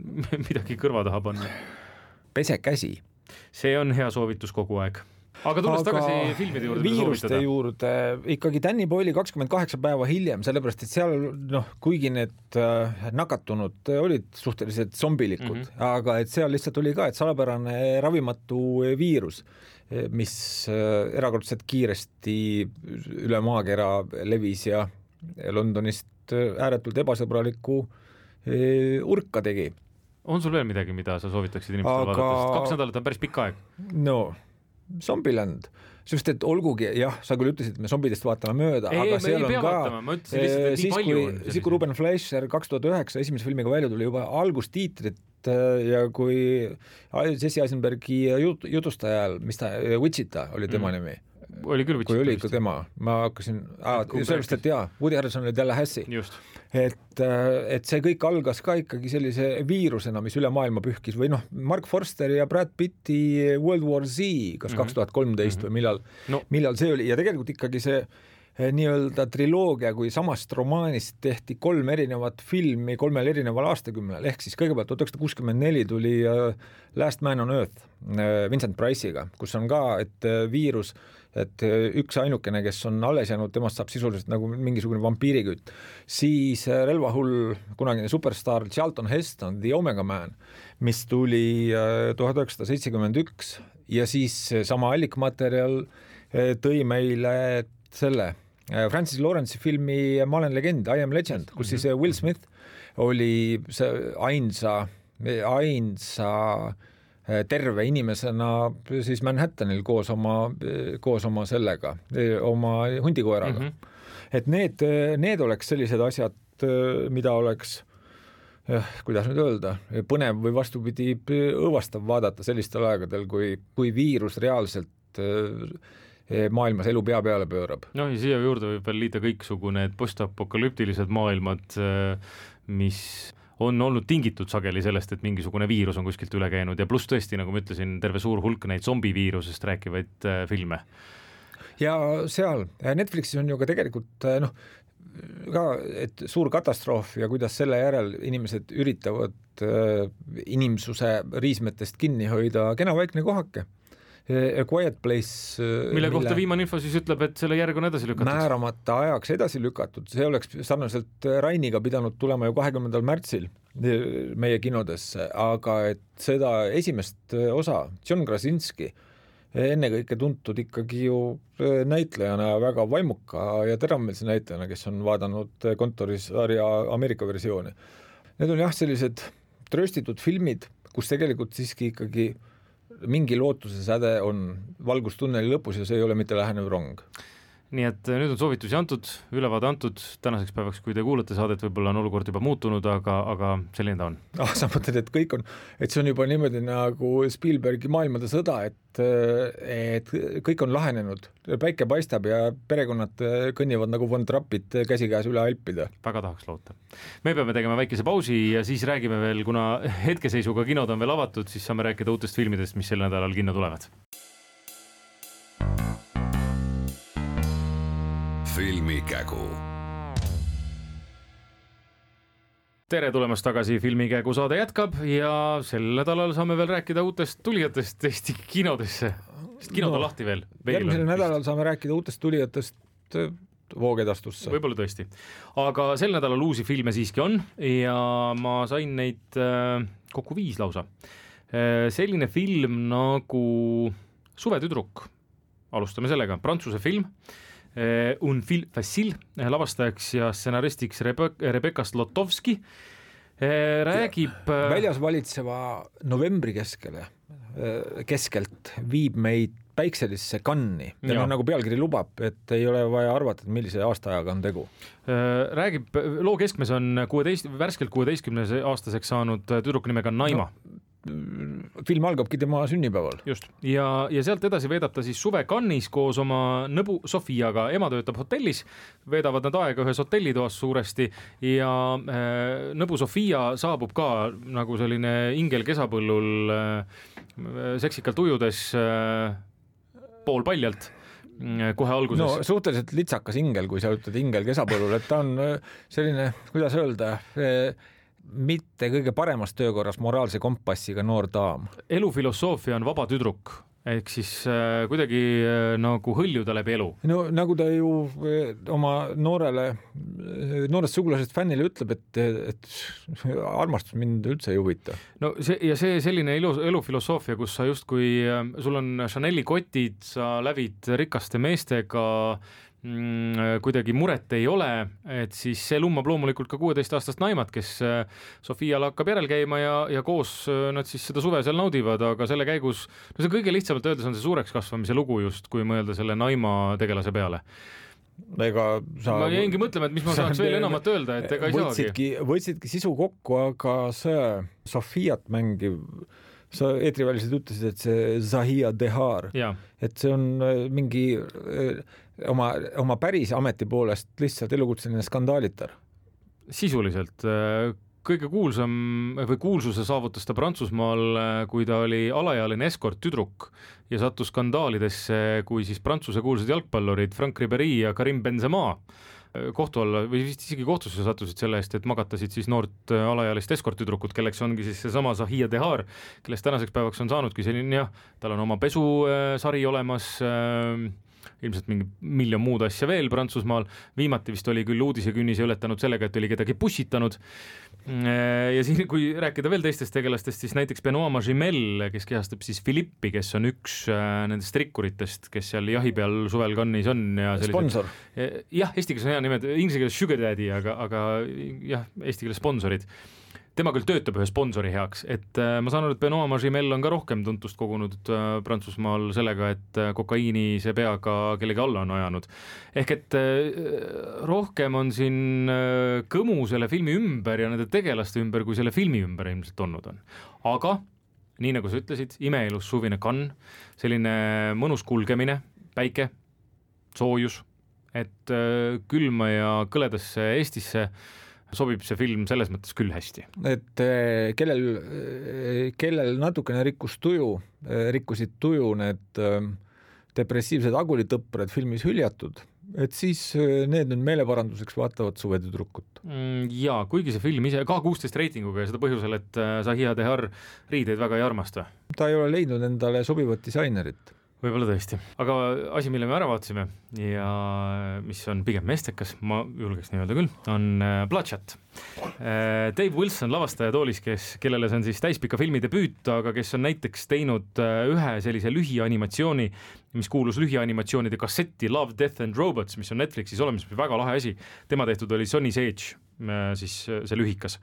midagi kõrva taha panna. Pese käsi. See on hea soovitus kogu aeg. Aga tulles aga tagasi filmide juurde, viiruste juurde, ikkagi Danny Boyle'i kakskümmend kaheksa päeva hiljem, sellepärast et seal, noh, kuigi need nakatunud olid suhteliselt zombilikud, mm -hmm. aga et seal lihtsalt oli ka, et salapärane ravimatu viirus, mis erakordselt kiiresti üle maakera levis ja Londonist ääretult ebasõbraliku urka tegi. On sul veel midagi, mida sa soovitaksid inimestele aga... vaadata? Kaks nädalat on päris pikk aeg. No Zombieland, sest et olgugi, jah, sa küll ütlesid, et me zombidest vaatame mööda, ei, aga seal on ka vaatama, ütlesin, lihtsalt, siis, kui, siis kui Ruben Fleischer kaks tuhat üheksa esimese filmiga välja tuli juba algustiitrit ja kui Jesse Eisenbergi jut, jutustajal, mis ta, Wichita oli tema mm. nimi, oli küll Wichita, kui oli ikka tema, ma hakkasin ah, sellest, et jaa, Woody Harrelson oli Tallahassee, et, et see kõik algas ka ikkagi sellise viirusena, mis üle maailma pühkis või noh, Mark Forster ja Brad Pitti World War Z, kas kaks tuhat kolmteist mm-hmm. või millal, no. millal see oli ja tegelikult ikkagi see nii-öelda triloogia, kui samast romaanist tehti kolm erinevat filmi kolmel erineval aastakümnel, ehk siis kõigepealt tuhat üheksasada kuuskümmend neli tuli Last Man on Earth Vincent Price'iga, kus on ka, et viirus, et üks ainukene, kes on alles jäänud, temast saab sisuliselt nagu mingisugune vampiirikütt. Siis relvahull kunagine superstar Charlton Heston, The Omega Man, mis tuli tuhat üheksasada seitsekümmend üks ja siis sama allikmaterjal tõi meile selle Francis Lawrence'i filmi Ma olen legend, I am legend, kus siis Will Smith oli see ainsa, ainsa terve inimesena siis Manhattanil koos oma, koos oma sellega, oma hundikoeraga. Mm-hmm. Et need, need oleks sellised asjad, mida oleks, kuidas nüüd öelda, põnev või vastupidi õõvastav vaadata sellistel aegadel, kui, kui viirus reaalselt maailmas elu pea peale pöörab. No ja siia juurde võib veel liita kõiksugu need postapokalüptilised maailmad, mis on olnud tingitud sageli sellest, et mingisugune viirus on kuskilt üle käinud ja pluss tõesti, nagu ma ütlesin, terve suur hulk neid zombiviirusest rääkivaid filme. Ja seal Netflixis on ju ka tegelikult noh, ka, et suur katastroof ja kuidas selle järel inimesed üritavad inimsuse riismetest kinni hoida kena vaikne kohake. A Quiet Place, mille kohta mille viimane info siis ütleb, et selle järg on edasi lükatud. Määramata ajaks edasi lükatud, see oleks sarnaselt Rainiga pidanud tulema ju kahekümnendal märtsil meie kinodesse, aga et seda esimest osa, John Krasinski, ennekõike tuntud ikkagi ju näitlejana, väga vaimuka ja teravmeelse näitlejana, kes on vaadanud kontorisarja Ameerika versiooni. Need on jah sellised trööstitud filmid, kus tegelikult siiski ikkagi mingi lootuse säde on valgustunneli lõpus ja see ei ole mitte lähenev rong. Nii et nüüd on soovitusi antud, ülevaade antud tänaseks päevaks, kui te kuulate saadet, võib-olla on olukord juba muutunud, aga, aga selline ta on. Ah, sa mõtled, et kõik on, et see on juba niimoodi nagu Spielbergi maailmade sõda, et, et kõik on lahenenud, päike paistab ja perekonnad kõnnivad nagu Von Trappid käsikäes üle Alpide. Väga tahaks loota. Me peame tegema väikese pausi ja siis räägime veel, kuna hetkeseisuga kinod on veel avatud, siis saame rääkida uutest filmidest, mis sel nädalal kinno tulevad. Filmikägu. tere tulemast tagasi, Filmikägu saade jätkab ja sel nädalal saame veel rääkida uutest tulijatest Eesti kinodesse, sest kinod no, on lahti veel. Järgmisel nädalal saame rääkida uutest tulijatest voogedastusse. Võib-olla tõesti. Aga sel nädalal uusi filme siiski on ja ma sain neid äh, kokku viis lausa. Äh, selline film nagu Suvetüdruk, alustame sellega, prantsuse film, Un film facile, lavastajaks ja stsenaristiks Rebe- Rebecca Zlotowski, räägib väljas valitseva novembri keskele, keskelt viib meid päikselisse Cannes'i ja nagu pealkiri lubab, et ei ole vaja arvata, et millise aastaajaga on tegu. Räägib, loo keskmes on kuueteist, värskelt kuueteistkümnes aastaseks saanud tüdruk nimega Naima. No, film algabki tema sünnipäeval. Just. Ja, ja sealt edasi veedab ta siis suve Cannes'is koos oma nõbu Sofiaga. Ema töötab hotellis, veedavad nad aega ühes hotellitoas suuresti ja äh, nõbu Sofia saabub ka nagu selline ingel kesapõllul äh, seksikalt ujudes äh, poolpaljalt kohe alguses. No suhteliselt litsakas ingel, kui sa ütled ingel kesapõllul, et ta on selline, kuidas öelda, mitte kõige paremas töökorras moraalse kompassiga noor daam. Elufilosoofia on vaba tüdruk, ehk siis äh, kuidagi äh, nagu hõljuda läbi elu. No nagu ta ju äh, oma noorele, noorest sugulasest fännile ütleb, et, et armastus mind üldse ei huvita. No see, ja see selline elu, elufilosoofia, kus sa justkui, äh, sul on Chanel'i kotid, sa lävid rikaste meestega, kuidagi muret ei ole, et siis see lummab loomulikult ka kuueteist aastast Naimat, kes Sofial hakkab järel käima ja, ja koos nad siis seda suve seal naudivad, aga selle käigus, no see kõige lihtsamalt öeldes on see suureks kasvamise lugu just, kui mõelda selle Naima tegelase peale. Ega sa... Ma jäingi mõtlema, et mis ma saaks veel enamat öelda, et ega ei võtsidki, saagi. Võtsidki sisu kokku, aga see Sofiat mängiv, sa eetriväliselt ütlesid, et see Zahia Dehar, ja. Et see on mingi oma, oma päris ameti poolest lihtsalt elukutseline skandaalitar. Sisuliselt kõige kuulsam või kuulsuse saavutas ta Prantsusmaal, kui ta oli alaealine eskort tüdruk ja sattus skandaalidesse, kui siis Prantsuse kuulsad jalgpallurid Franck Ribéry ja Karim Benzema kohtu alla või vist isegi kohtusse sattusid selle eest, et magatasid siis noort alaealist eskorttüdrukut, kelleks ongi siis seesama Zahia Dehar, kellest tänaseks päevaks on saanudki selline, jah, tal on oma pesusari olemas, ilmselt mingi miljon muud asja veel Prantsusmaal, viimati vist oli küll uudisekünnise ületanud sellega, et oli kedagi pussitanud ja siin, kui rääkida veel teistest tegelastest, siis näiteks Benoît Magimel, kes kehastab siis Philippi, kes on üks nendest rikkuritest, kes seal jahi peal suvel Cannes'is on ja sponsor. Jah, eesti keeles on hea nimed, inglise keeles sugar daddy, aga, aga jah, eesti keeles sponsorid. Tema küll töötab ühe sponsori heaks, et äh, ma saan aru, et Benoît Magimel on ka rohkem tuntust kogunud äh, Prantsusmaal sellega, et äh, kokaiini see peaga kellegi alla on ajanud. Ehk et äh, rohkem on siin äh, kõmu selle filmi ümber ja nende tegelaste ümber, kui selle filmi ümber ilmselt olnud on. Aga, nii nagu sa ütlesid, imeilus suvine Cannes, selline mõnus kulgemine, päike, soojus, et äh, külma ja kõledasse Eestisse sobib see film selles mõttes küll hästi. Et kellel, kellel natukene rikkus tuju, rikkusid tuju need depressiivsed agulitõppred filmis hüljatud, et siis need nüüd meeleparanduseks vaatavad Suvetüdrukut. Jaa, kuigi see film ise ka kuusteist reitinguga ja seda põhjusel, et Zahia Dehar riideid väga ei armasta. Ta ei ole leidnud endale sobivat disainerit. Võib-olla tõesti. Aga asi, mille me ära vaatasime ja mis on pigem meestekas, ma julgeks nii öelda küll, on Bloodshot. Dave Wilson, lavastaja toolis, kes, kellele see on siis täispika filmi debüüt, aga kes on näiteks teinud ühe sellise lühianimatsiooni, mis kuulus lühianimatsioonide kassetti Love, Death and Robots, mis on Netflixis olemas, väga lahe asi. Tema tehtud oli Sonny Sage, siis see lühikas.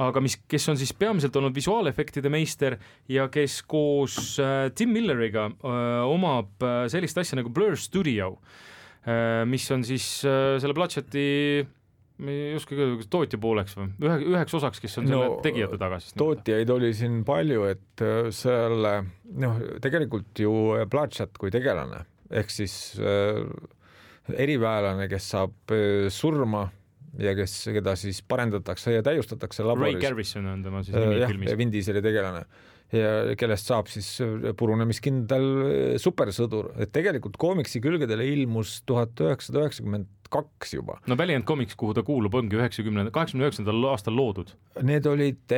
Aga mis, kes on siis peamiselt olnud visuaalefektide meister ja kes koos äh, Tim Milleriga äh, omab äh, sellist asja nagu Blur Studio, äh, mis on siis äh, selle Bloodshoti ei oska ka tootja pooleks või ühe, üheks osaks, kes on selle no, tegijate taga. Tootjaid oli siin palju, et selle, noh, tegelikult ju Bloodshot kui tegelane, ehk siis äh, eriväelane, kes saab äh, surma ja kes, keda siis parendatakse ja täiustatakse laboris. Ray Garrison on tema siis nimi filmis. Jah, Vin Dieseli tegelane. Ja kellest saab siis purunemiskindel supersõdur. Et tegelikult koomiksi külgedele ilmus tuhat üheksasada üheksakümmend kaks juba. No Valiant Comics, kuhu ta kuulub, ongi üheksakümnenda, kaheksakümne üheksandal aastal loodud. Need olid,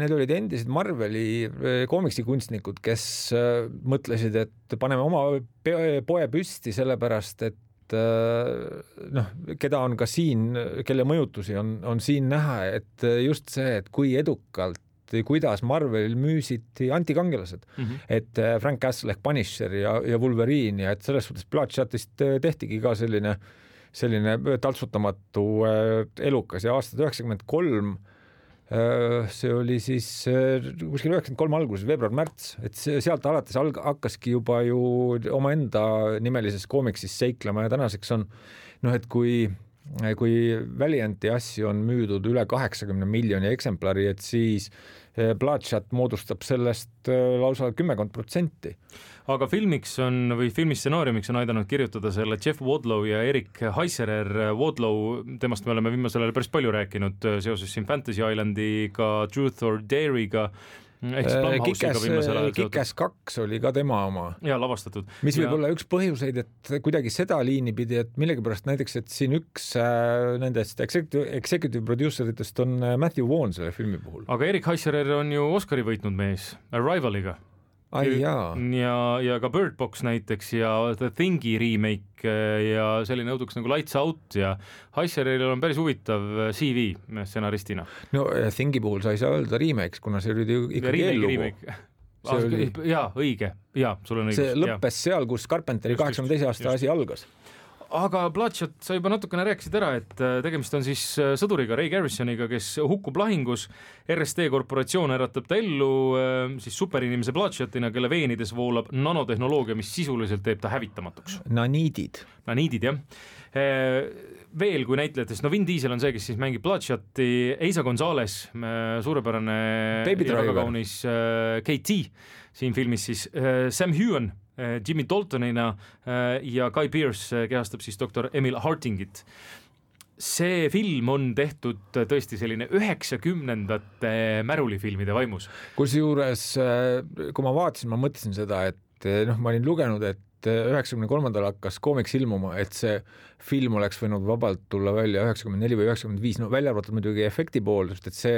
need olid endised Marveli koomiksikunstnikud, kes mõtlesid, et paneme oma poe püsti sellepärast, et noh, keda on ka siin, kelle mõjutusi on, on siin näha, et just see, et kui edukalt kuidas Marvel müüsid antikangelased, mm-hmm. et Frank Castle ehk Punisher ja, ja Wolverine ja et selles suhtes Bloodshotist tehtigi ka selline, selline taltsutamatu elukas ja aastad üheksakümmend kolm, see oli siis kuskil üheksakümmend kolm alguses, veebruar-märts, et sealt alates alg- hakkaski juba ju omaenda nimelises koomiksis seiklema ja tänaseks on, noh, et kui kui Valianti asju on müüdud üle kaheksakümne miljoni eksemplari, et siis Bloodshot moodustab sellest lausa kümmekond protsenti. Aga filmiks on või filmistsenaariumiks on aidanud kirjutada selle Jeff Wadlow ja Eric Heiserer. Wadlow, temast me oleme viimasel ajal päris palju rääkinud seoses siin Fantasy Islandi-ga, Truth or Dare'iga. Kick-Ass kaks oli ka tema oma. Ja lavastatud. Mis võib ja... olla üks põhjuseid, et kuidagi seda liini pidi, et millegipärast näiteks, et siin üks nendest executive, executive produceritest on Matthew Vaughn selle filmi puhul. Aga Eric Heiserer on ju Oscari võitnud mees Arrivaliga. Ai, jaa. Ja, ja ka Bird Box näiteks ja The Thingi remake ja selline õuduks nagu Lights Out ja Heiseril on päris huvitav C V stsenaristina. No Thingi puhul sa ei saa öelda remake, kuna see oli ikkagi eellugu. Oli... Jaa, õige. Jaa, sul on õigus. See lõppes ja. Seal, kus Carpenteri kaheksakümne teise aasta asi algas. Aga Bloodshot, sa juba natukene rääkisid ära, et tegemist on siis sõduriga, Ray Garrisoniga, kes hukkub lahingus. R S T korporatsioon äratab ta ellu siis superinimese Bloodshotina, kelle veenides voolab nanotehnoloogia, mis sisuliselt teeb ta hävitamatuks. Naniidid. Naniidid, jah. Veel kui näitlejatest, no Vin Diesel on see, kes siis mängib Bloodshoti, Eiza Gonzalez, suurepärane ja väga kaunis K T siin filmis siis, Sam Heughan, Jimmy Daltonina ja Guy Pearce kehastab siis doktor Emil Hartingit. See film on tehtud tõesti selline üheksakümnendate märulifilmide vaimus. Kusjuures, kui ma vaatasin, ma mõtlesin seda, et noh, ma olin lugenud, et üheksakümne kolmandal hakkas koomiks ilmuma, et see film oleks võinud vabalt tulla välja üheksakümmend neli või üheksakümmend viis, no välja arvatud muidugi efekti pool, sest et see,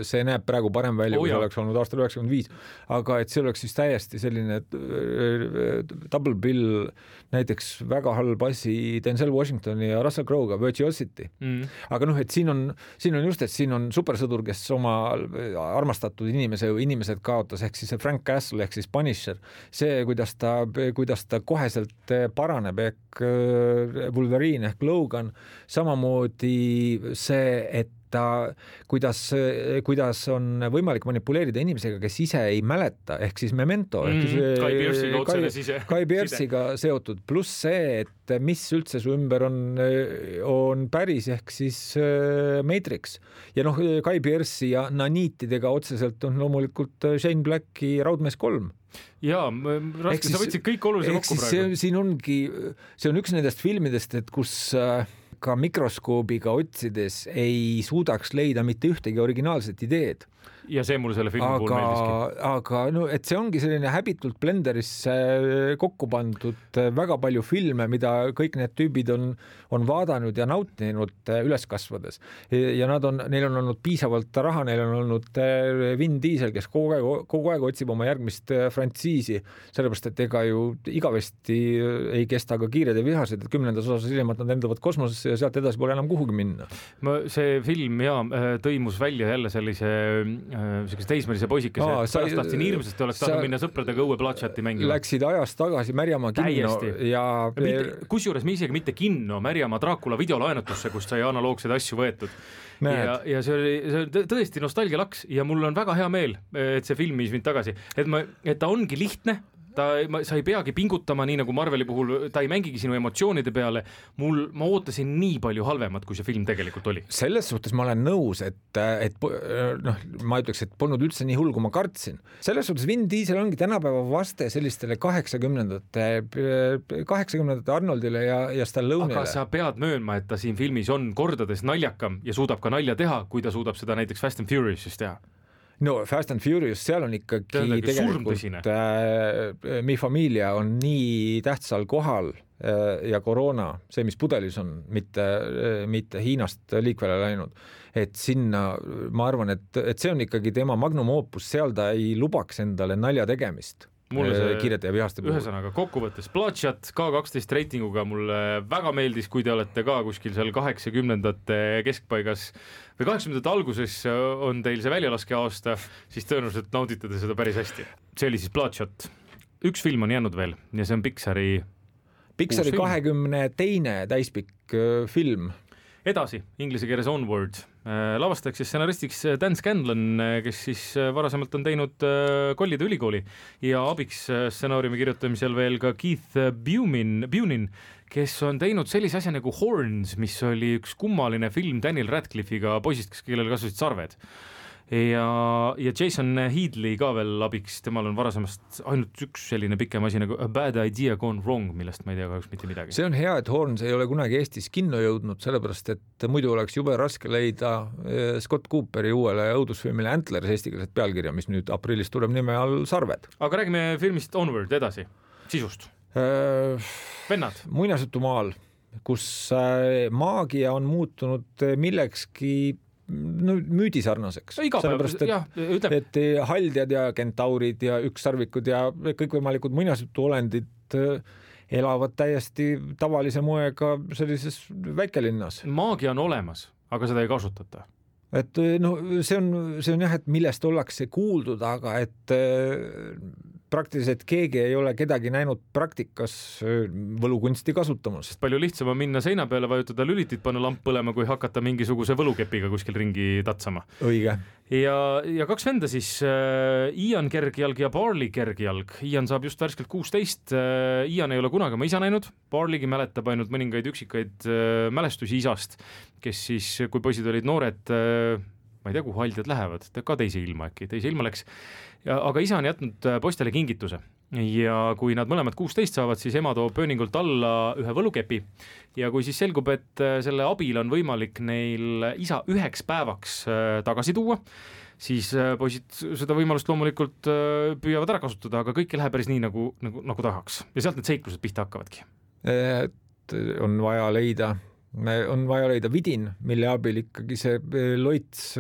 see näeb praegu parem välja, oh, kui see oleks olnud aastal üheksakümmend viis, aga et see oleks siis täiesti selline double bill, näiteks väga halb asi Denzel Washingtoni ja Russell Crowe'ga, Virtuosity. Mm. Aga noh, et siin on, siin on just, et siin on supersõdur, kes oma armastatud inimese või inimesed kaotas, ehk siis Frank Castle, ehk siis Punisher. See, kuidas ta, kuidas ta koheselt paraneb, ehk Wolverine ehk Logan, samamoodi see, et ta, kuidas, kuidas on võimalik manipuleerida inimesega, kes ise ei mäleta, ehk siis Memento, ehk siis mm, Guy Pearce'iga otsene sise. Guy Pearce'iga seotud, pluss see, et mis üldse su ümber on, on päris, ehk siis Matrix. Ja noh, Guy Pearce'i ja naniitidega otseselt on loomulikult Shane Blacki Raudmees kolm. Jaa, raske, sa võtsid kõik olulise kokku praegu. See, siin ongi, see on üks nendest filmidest, et kus ka mikroskoobiga otsides ei suudaks leida mitte ühtegi originaalset ideed. Ja see mul selle filmi aga, puhul meeldiski. Aga no, et see ongi selline häbitult blenderisse kokku pandud väga palju filme, mida kõik need tüübid on, on vaadanud ja nautinud üles kasvades. Ja nad on, neil on olnud piisavalt raha, neil on olnud Vin Diesel, kes kogu aeg, kogu aeg otsib oma järgmist frantsiisi, sellepärast, et ega ju igavesti ei kesta ka kiired ja vihased, et kümnendas osas hiljemalt nad endavad kosmosesse ja sealt edasi pole enam kuhugi minna. Ma, see film ja tõimus välja jälle sellise sellised teismelise poisikese, Aa, et pärast tahtsin hirmsasti, oleks tahtnud minna sõpradega õue Bloodshoti mängima. Läksid ajast tagasi Märjamaa kinno ja... Kusjuures me isegi mitte kinno, Märjamaa Draakula videolaenutusse, kust sai analoogseid asju võetud. Ja, ja see oli, see oli tõesti nostalgialaks ja mul on väga hea meel, et see film viis mind tagasi. Et, ma, et ta ongi lihtne, ta, ma, sa ei peagi pingutama, nii nagu Marveli puhul, ta ei mängigi sinu emotsioonide peale. Mul, ma ootasin nii palju halvemat, kui see film tegelikult oli. Selles suhtes ma olen nõus, et, et noh, ma ütleks, et polnud üldse nii hull, kui ma kartsin. Selles suhtes Vin Diesel ongi tänapäeva vaste sellistele kaheksakümnendate, kaheksakümnendate Arnoldile ja, ja Stallone'ile. Aga sa pead möönma, et ta siin filmis on kordades naljakam ja suudab ka nalja teha, kui ta suudab seda näiteks Fast and Furiousis teha. No Fast and Furious, seal on ikkagi tegelikult äh, Mi Familia on nii tähtsal kohal ja koroona, see, mis pudelis on, mitte, mitte Hiinast liikvele läinud, et sinna ma arvan, et, et see on ikkagi tema magnum opus, seal ta ei lubaks endale nalja tegemist. Mulle see kirjade ja vihaste puhul. Ühesõnaga kokkuvates Bloodshot K kaksteist reitinguga mulle väga meeldis, kui te olete ka kuskil seal kaheksakümnendate keskpaigas või kaheksakümnendate alguses on teil see väljalaske aasta, siis tõenäoliselt naudite te seda päris hästi. See oli siis Bloodshot. Üks film on jäänud veel ja see on Pixari Pixari kahekümne teine täispikk film. Edasi, inglise keeles Onward. Lavastajaks ja stsenaristiks Dan Scanlon, kes siis varasemalt on teinud Kollide ülikooli ja abiks stsenaariumi kirjutamisel veel ka Keith Bunin, Bunin, kes on teinud sellise asja nagu Horns, mis oli üks kummaline film Daniel Radcliffe'iga poisist, kes kellel kasvasid sarved. Ja, ja Jason Headley ka veel abiks, temal on varasemast ainult üks selline pikem asi nagu A Bad Idea Gone Wrong, millest ma ei tea kahjuks mitte midagi. See on hea, et Horns ei ole kunagi Eestis kinno jõudnud, sellepärast et muidu oleks jube raske leida Scott Cooperi uuele õudusfilmile Antlers eestikeelset pealkirja, mis nüüd aprillis tuleb nime all Sarved. Aga räägime filmist Onward edasi, sisust. Äh, Vennad. Muinasjutumaal, kus maagia on muutunud millekski no, müüdisarnaseks. Sellepärast, et, jah, et haldjad ja kentaurid ja ükssarvikud ja kõikvõimalikud muinasjutuolendid elavad täiesti tavalise moega sellises väikelinnas. Maagia on olemas, aga seda ei kasutata. Et no see on, see on jah, et millest ollakse kuuldud, aga et praktiliselt keegi ei ole kedagi näinud praktikas võlukunsti kasutamas. Palju lihtsam on minna seina peale, vajutada lülitit, panna lamp põlema, kui hakata mingisuguse võlukepiga kuskil ringi tatsama. Õige. Ja, ja kaks venda siis, äh, Ian Kergjalg ja Barley Kergjalg. Ian saab just värskelt kuusteist, äh, Ian ei ole kunagi oma isa näinud, Barleygi mäletab ainult mõningaid üksikaid äh, mälestusi isast, kes siis, kui poisid olid noored, äh, ma ei tea, kuhu haldjad lähevad, ka teise ilma äkki, teise ilma läks. Ja, aga isa on jätnud poistele kingituse ja kui nad mõlemad kuusteist saavad, siis ema toob pööningult alla ühe võlukepi ja kui siis selgub, et selle abil on võimalik neil isa üheks päevaks tagasi tuua, siis poisid seda võimalust loomulikult püüavad ära kasutada, aga kõik ei lähe päris nii, nagu, nagu, nagu tahaks. Ja sealt need seiklused pihta hakkavadki. Et on vaja leida on vaja leida vidin, mille abil ikkagi see loits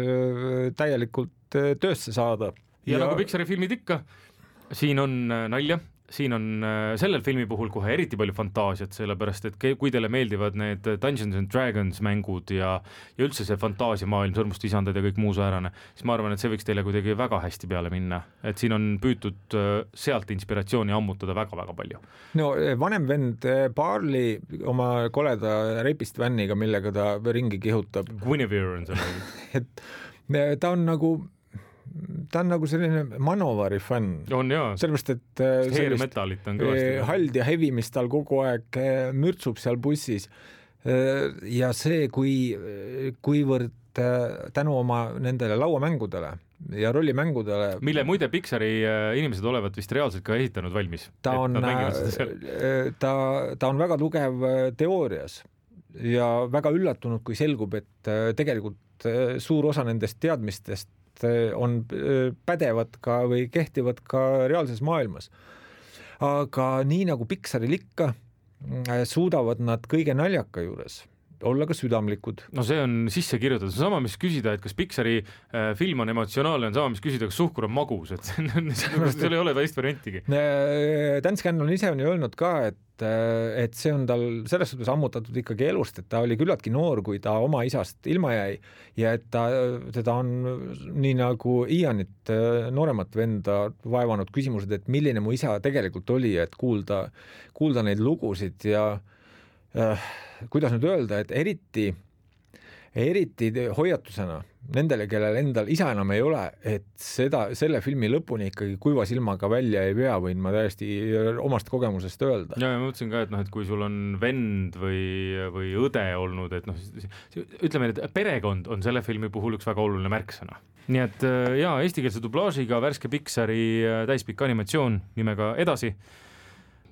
täielikult töösse saada. Ja, ja nagu Pixari filmid ikka, siin on nalja, siin on sellel filmi puhul kohe eriti palju fantaasiat, sellepärast, et kui teile meeldivad need Dungeons and Dragons mängud ja, ja üldse see fantaasiamaailm, sõrmust isandad ja kõik muu säärane, siis ma arvan, et see võiks teile kuidagi väga hästi peale minna, et siin on püütud sealt inspiratsiooni ammutada väga-väga palju. No vanem vend Barley oma koleda repist vänniga, millega ta ringi kihutab. Guinevere on seal. et ta on nagu ta on nagu selline Manovari fänn. On jaa. Sellepärast, et Hairmetalit on kõvasti. Hald ja hevi, mis tal kogu aeg mürtsub seal bussis. Ja see, kui, kuivõrd tänu oma nendele lauamängudele ja rollimängudele. Mille muide Pixari inimesed olevat vist reaalselt ka esitanud valmis. Ta on, ta, ta on väga tugev teoorias ja väga üllatunud, kui selgub, et tegelikult suur osa nendest teadmistest on pädevad ka või kehtivad ka reaalses maailmas. Aga nii nagu Pixaril ikka, suudavad nad kõige naljaka juures olla ka südamlikud. No see on sisse kirjutatud. See on sama, mis küsida, et kas Pixari äh, film on emotsionaalne, on sama, mis küsida, kas suhkur on magus. Et seal ei ole teist variantigi. Dan Scanlon ise on ju öelnud ka, et, et see on tal selles suhtes ammutatud ikkagi elust, et ta oli küllaltki noor, kui ta oma isast ilma jäi ja et ta, teda on nii nagu Ianit nooremat venda vaevanud küsimused, et milline mu isa tegelikult oli, et kuulda, kuulda neid lugusid ja äh, kuidas nüüd öelda, et eriti, eriti hoiatusena nendele, kellel endal isa enam ei ole, et seda, selle filmi lõpuni ikkagi kuiva silmaga välja ei pea, võin ma täiesti omast kogemusest öelda. Ja, ja ma mõtlesin ka, et, noh, et kui sul on vend või, või õde olnud, et noh, ütleme, et perekond on selle filmi puhul üks väga oluline märksõna. Nii et jaa, eestikeelse dublaažiga värske Pixari täispikk animatsioon nimega Edasi,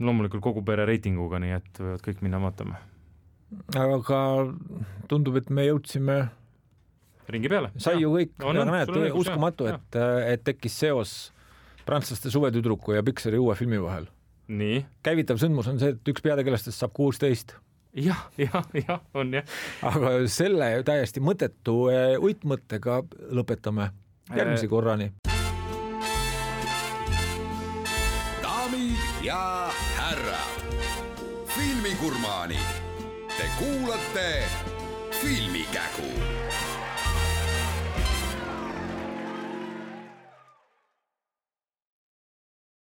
loomulikult kogu pere reitinguga, nii et võivad kõik minna vaatama. Aga tundub, et me jõudsime ringi peale. Sai ju kõik, no, no, näed, uskumatu, et, et tekkis seos prantslaste suvetüdruku ja Pixari uue filmi vahel. nii. Käivitav sündmus on see, et üks peategelastest saab kuusteist. jah, jah, jah, on jah. Aga selle täiesti mõttetu uitmõttega lõpetame järgmise korrani. Daamid ja härrad, filmigurmaanid, te kuulate Filmikägu.